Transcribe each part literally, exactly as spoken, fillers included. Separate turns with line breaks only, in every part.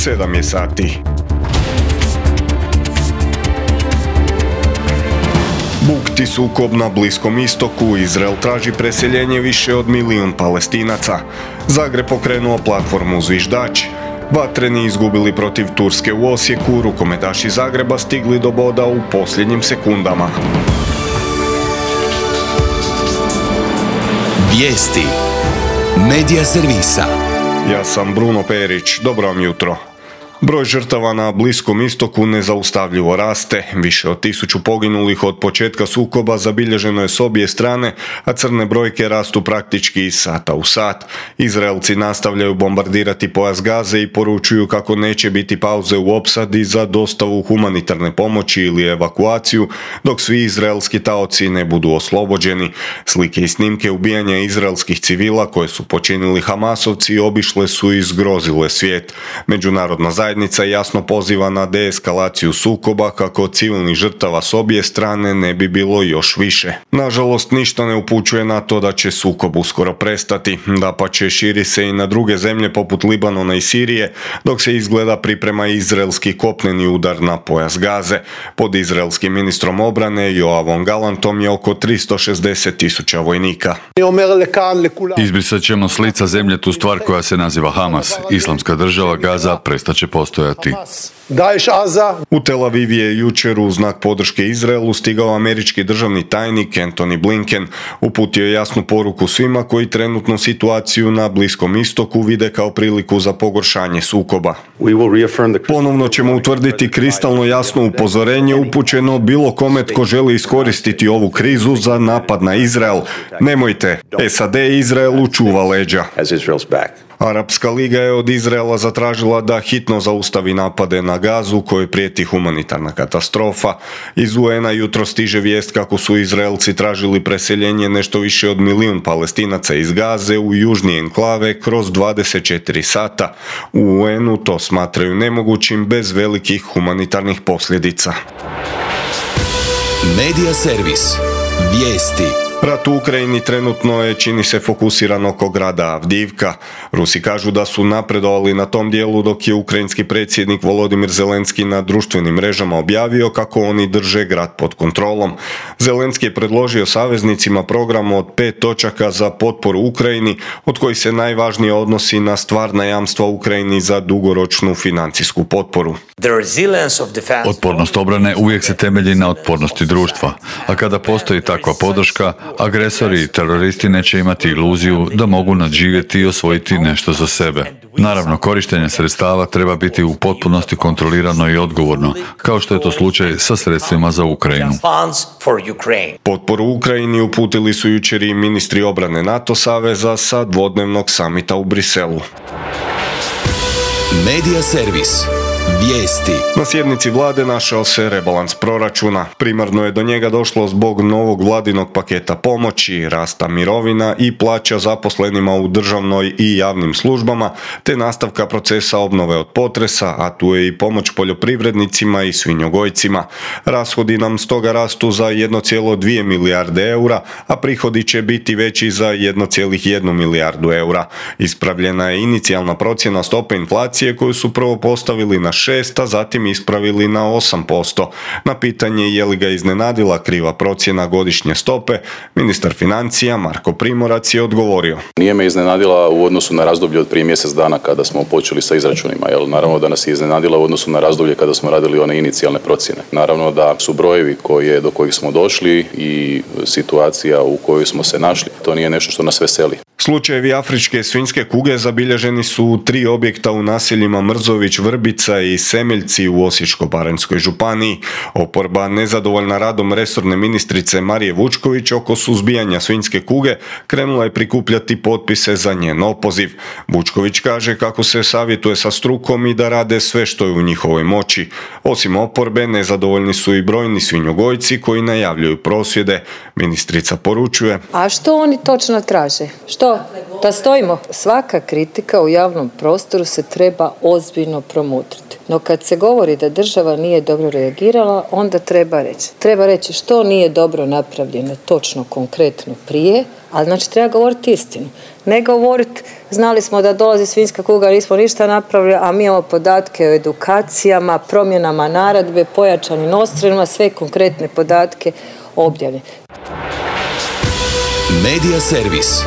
sedam je sati. Bukti sukob na Bliskom istoku, Izrael traži preseljenje više od milijun Palestinaca. Zagreb pokrenuo platformu Zviždač. Vatreni izgubili protiv Turske u Osijeku, rukometaši Zagreba stigli do boda u posljednjim sekundama.
Vijesti Medija servisa.
Ja sam Bruno Perić, dobro vam jutro. Broj žrtava na Bliskom istoku nezaustavljivo raste. Više od tisuću poginulih od početka sukoba zabilježeno je s obje strane, a crne brojke rastu praktički iz sata u sat. Izraelci nastavljaju bombardirati pojas Gaze i poručuju kako neće biti pauze u opsadi za dostavu humanitarne pomoći ili evakuaciju, dok svi izraelski taoci ne budu oslobođeni. Slike i snimke ubijanja izraelskih civila koje su počinili Hamasovci obišle su i zgrozile svijet. Međunarodna zajednica Zajednica jasno poziva na deeskalaciju sukoba kako civilnih žrtava s obje strane ne bi bilo još više. Nažalost, ništa ne upućuje na to da će sukob uskoro prestati. Dapače, širi se i na druge zemlje poput Libanona i Sirije, dok se izgleda priprema izraelski kopneni udar na pojas Gaze. Pod izraelskim ministrom obrane Joavom Galantom je oko tristo šezdeset tisuća vojnika.
Izbrisat ćemo s lica zemlje tu stvar koja se naziva Hamas. Islamska država Gaza prestaće postojati.
U Tel Aviv je jučer u znak podrške Izraelu stigao američki državni tajnik Antony Blinken. Uputio je jasnu poruku svima koji trenutnu situaciju na Bliskom istoku vide kao priliku za pogoršanje sukoba. Ponovno ćemo utvrditi kristalno jasno upozorenje upućeno bilo kome tko želi iskoristiti ovu krizu za napad na Izrael. Nemojte, S A D Izraelu čuva leđa. Arapska liga je od Izraela zatražila da hitno zaustavi napade na Gazu kojoj prijeti humanitarna katastrofa. Iz U N-a jutro stiže vijest kako su Izraelci tražili preseljenje nešto više od milijun Palestinaca iz Gaze u južnije enklave kroz dvadeset četiri sata. U U N-u to smatraju nemogućim bez velikih humanitarnih posljedica.
Medija servis. Vijesti.
Rat u Ukrajini trenutno je, čini se, fokusiran oko grada Avdijivka. Rusi kažu da su napredovali na tom dijelu, dok je ukrajinski predsjednik Volodimir Zelenski na društvenim mrežama objavio kako oni drže grad pod kontrolom. Zelenski je predložio saveznicima program od pet točaka za potporu Ukrajini, od kojih se najvažnije odnosi na stvarna jamstva Ukrajini za dugoročnu financijsku potporu.
Otpornost obrane uvijek se temelji na otpornosti društva, a kada postoji takva podrška, agresori i teroristi neće imati iluziju da mogu nadživjeti i osvojiti nešto za sebe. Naravno, korištenje sredstava treba biti u potpunosti kontrolirano i odgovorno, kao što je to slučaj sa sredstvima za Ukrajinu.
Potporu Ukrajini uputili su jučer i ministri obrane NATO saveza sa dvodnevnog samita u Briselu.
Medija servis. Vijesti.
Na sjednici vlade našao se rebalans proračuna. Primarno je do njega došlo zbog novog vladinog paketa pomoći, rasta mirovina i plaća zaposlenima u državnoj i javnim službama, te nastavka procesa obnove od potresa, a tu je i pomoć poljoprivrednicima i svinjogojcima. Rashodi nam stoga rastu za jedan zarez dvije milijarde eura, a prihodi će biti veći za jedan zarez jedna milijardu eura. Ispravljena je inicijalna procjena stope inflacije koju su prvo postavili na šest, a zatim ispravili na osam posto. Na pitanje je li ga iznenadila kriva procjena godišnje stope, ministar financija Marko Primorac je odgovorio.
Nije me iznenadila u odnosu na razdoblje od prije mjesec dana kada smo počeli sa izračunima, jer naravno da nas je iznenadila u odnosu na razdoblje kada smo radili one inicijalne procjene. Naravno da su brojevi koje, do kojih smo došli i situacija u kojoj smo se našli, to nije nešto što nas veseli.
Slučajevi afričke svinjske kuge zabilježeni su u tri objekta u naseljima Mrzović, Vrbica i Semeljci u Osječko-baranjskoj županiji. Oporba, nezadovoljna radom resorne ministrice Marije Vučković oko suzbijanja svinjske kuge, krenula je prikupljati potpise za njen opoziv. Vučković kaže kako se savjetuje sa strukom i da rade sve što je u njihovoj moći. Osim oporbe, nezadovoljni su i brojni svinjogojci koji najavljuju prosvjede. Ministrica poručuje:
A što oni točno traže? Što? Da stojimo? Svaka kritika u javnom prostoru se treba ozbiljno promotriti. No kad se govori da država nije dobro reagirala, onda treba reći. Treba reći što nije dobro napravljeno točno, konkretno prije, ali znači treba govoriti istinu. Ne govoriti znali smo da dolazi svinjska kuga, nismo ništa napravili, a mi imamo podatke o edukacijama, promjenama naredbe, pojačanim odstrelima, sve konkretne podatke objavljene.
Medija servis.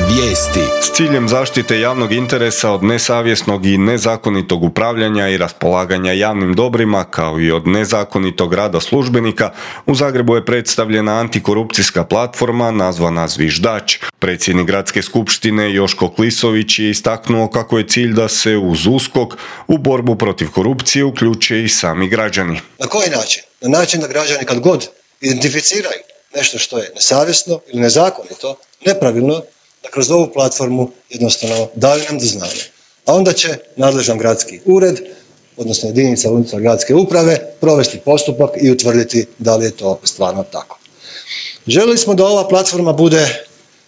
Vijesti.
S ciljem zaštite javnog interesa od nesavjesnog i nezakonitog upravljanja i raspolaganja javnim dobrima, kao i od nezakonitog rada službenika, u Zagrebu je predstavljena antikorupcijska platforma nazvana Zviždač. Predsjednik Gradske skupštine Joško Klisović je istaknuo kako je cilj da se uz USKOK u borbu protiv korupcije uključe i sami građani.
Na koji način? Na način da građani kad god identificiraju nešto što je nesavjesno ili nezakonito, nepravilno, da kroz ovu platformu jednostavno daju nam do znanja. A onda će nadležan gradski ured, odnosno jedinica unutar gradske uprave, provesti postupak i utvrditi da li je to stvarno tako. Željeli smo da ova platforma bude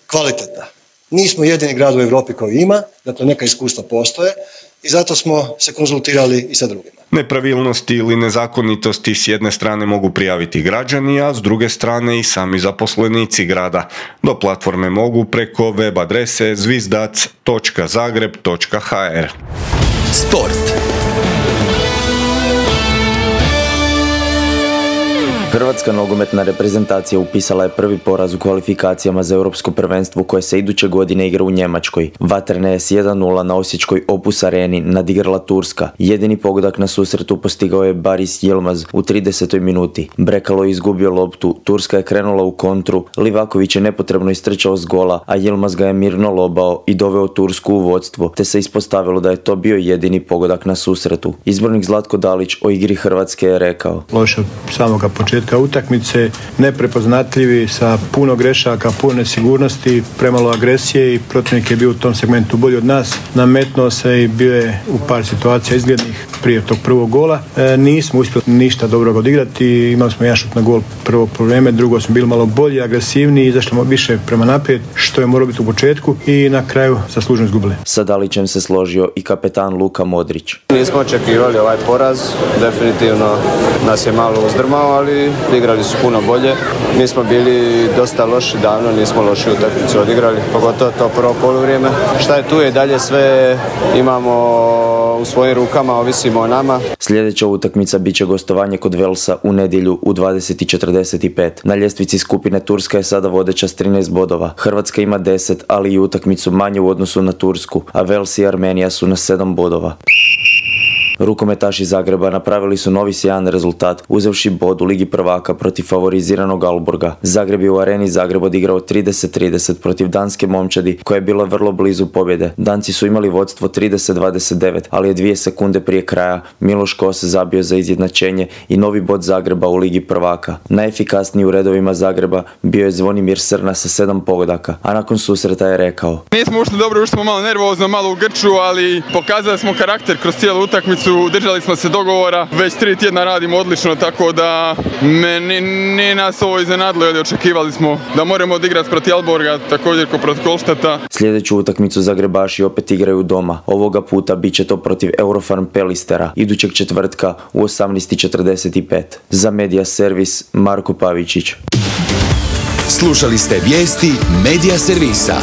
kvalitetna. Nismo jedini grad u Europi koji ima, dakle neka iskustva postoje i zato smo se konzultirali i sa drugima.
Nepravilnosti ili nezakonitosti s jedne strane mogu prijaviti građani, a s druge strane i sami zaposlenici grada. Do platforme mogu preko web adrese zvizdac točka zagreb točka ha er.
Sport.
Hrvatska nogometna reprezentacija upisala je prvi poraz u kvalifikacijama za europsko prvenstvo koje se iduće godine igra u Njemačkoj. Vatrena je s jedan nula na osječkoj Opus Areni nadigrala Turska. Jedini pogodak na susretu postigao je Baris Yilmaz u tridesetoj minuti. Brekalo je izgubio loptu, Turska je krenula u kontru, Livaković je nepotrebno istrčao s gola, a Yilmaz ga je mirno lobao i doveo Tursku u vodstvo, te se ispostavilo da je to bio jedini pogodak na susretu. Izbornik Zlatko Dalić o igri Hrvatske je rekao:
Loše od samoga početka utakmice, neprepoznatljivi, sa puno grešaka, puno nesigurnosti, premalo agresije i protivnik je bio u tom segmentu bolji od nas. Nametnuo se i bio je u par situacija izglednih prije tog prvog gola. E, nismo uspjeli ništa dobrog odigrati, imali smo jedan šut na gol prvo po vrijeme, drugo smo bili malo bolji, agresivniji, izašli više prema naprijed, što je moralo biti u početku i na kraju zasluženo izgubili.
Sa Dalićem se složio i kapetan Luka Modrić.
Nismo očekivali ovaj poraz, definitivno nas je malo uzdrmao, ali igrali su puno bolje. Mi smo bili dosta loši davno, nismo loši utakmicu odigrali, pogotovo to prvo poluvrijeme. Šta je tu je dalje sve imamo u svojim rukama, ovisimo o nama.
Sljedeća utakmica bit će gostovanje kod Velsa u nedjelju u dvadeset i četrdeset pet. Na ljestvici skupine Turska je sada vodeća s trinaest bodova. Hrvatska ima deset, ali i utakmicu manje u odnosu na Tursku, a Vels i Armenija su na sedam bodova. Rukometaši Zagreba napravili su novi sjajan rezultat, uzevši bod u Ligi prvaka protiv favoriziranog Aalborga. Zagreb je u Areni Zagreb odigrao trideset trideset protiv danske momčadi, koja je bila vrlo blizu pobjede. Danci su imali vodstvo trideset dvadeset devet, ali je dvije sekunde prije kraja Miloš Kose zabio za izjednačenje i novi bod Zagreba u Ligi prvaka. Najefikasniji u redovima Zagreba bio je Zvonimir Srna sa sedam pogodaka, a nakon susreta je rekao:
Nismo ušli dobro, ušli smo malo nervozno, malo u grču, ali pokazali smo karakter kroz cijelu utakmicu. Držali smo se dogovora, već tri tjedna radimo odlično, tako da me ni, ni nas ovo iznenadilo, jer očekivali smo da moramo odigrati protiv Aalborga, također kao protiv Kolštata.
Sljedeću utakmicu Zagrebaši opet igraju doma. Ovoga puta bit će to protiv Eurofarm Pelistera, idućeg četvrtka u osamnaest i četrdeset pet. Za Medija servis Marko Pavičić.
Slušali ste vijesti Medija servisa.